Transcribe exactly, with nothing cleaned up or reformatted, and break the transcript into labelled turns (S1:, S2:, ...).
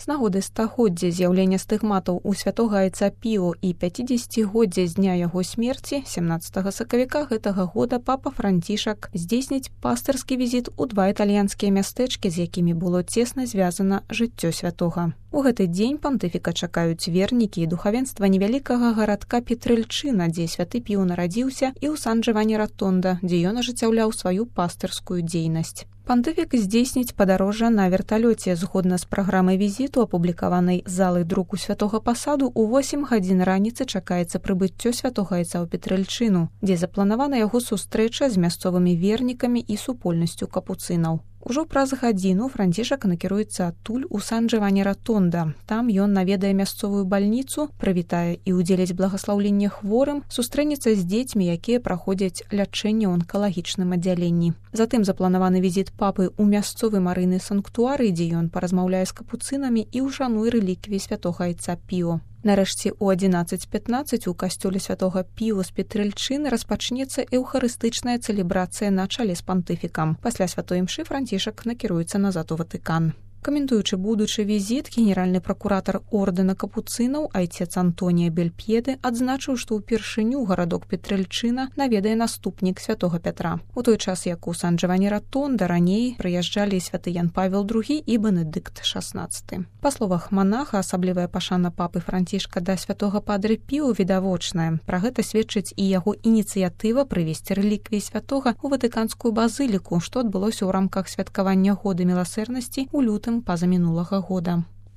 S1: З нагоды стагоддзя з'яўлення стыгматаў у святога айца Піо і пяцідзесяцігоддзя з дня яго смерці сямнаццатага сакавіка гэтага года папа Францішак здзейсніць пастырскі візіт у два італьянскія мястэчкі, з якімі было цесна звязана жыццё святога. У гэты дзень пантыфіка чакаюць вернікі і духавенства невялікага гарадка Петрэльчына, дзе святы Піо нарадзіўся, і ў Сан-Джавані-Ратонда, дзе ён ажыццяўляў сваю пастырскую дзейнасць. Пантыфік здзейсніць падарожжа на верталёце згодна з праграмай візіту, апублікаванай залай друку святога пасаду. У восем гадзін раніцы чакаецца прыбыццё святога айца ў Петрэльчыну, дзе запланавана яго сустрэча з мясцовымі вернікамі і супольнасцю капуцынаў. Ужо праз гадзіну Францішак накіруецца адтуль у Сан-Джавані-Ратонда. Там ён наведае мясцовую бальніцу, прывітае і ўдзеліць благаслаўленне хворым, сустрэнецца з дзецьмі, якія праходзяць лячэнне ў онкалагічным аддзяленні. Затым запланаваны візіт папы ў мясцовы марыйны санктуарый, дзе ён паразмаўляе з капуцынамі і ўшануе рэліквіі святога айца Піо. Нарэшце, у адзінаццаць пятнаццаць у касцёле святога Піо з Петрэльчыны распачнецца эўхарыстычная цэлебрацыя на чале з пантыфікам. Пасля святой імшы Францішак накіруецца назад у Ватыкан. Каментуючы будучы візіт, генеральны пракуратар ордэна капуцынаў айцец Антонія Бельп'еды адзначыў, што ўпершыню гарадок Петрэльчына наведае наступнік святога Пятра. У той час, як у Сан-Джавані-Ратонда раней прыязджалі святы Ян Павел другі і Бенедыкт шаснаццаты. Па словах манаха, асаблівая пашана папы Францішка да святога падры Піо відавочная. Пра гэта сведчыць і яго ініцыятыва прывесці рэліквіі святога ў ватыканскую базыліку, што адбылося ў рамках святкавання года міласэрнасці ў лютым пазамінулага года.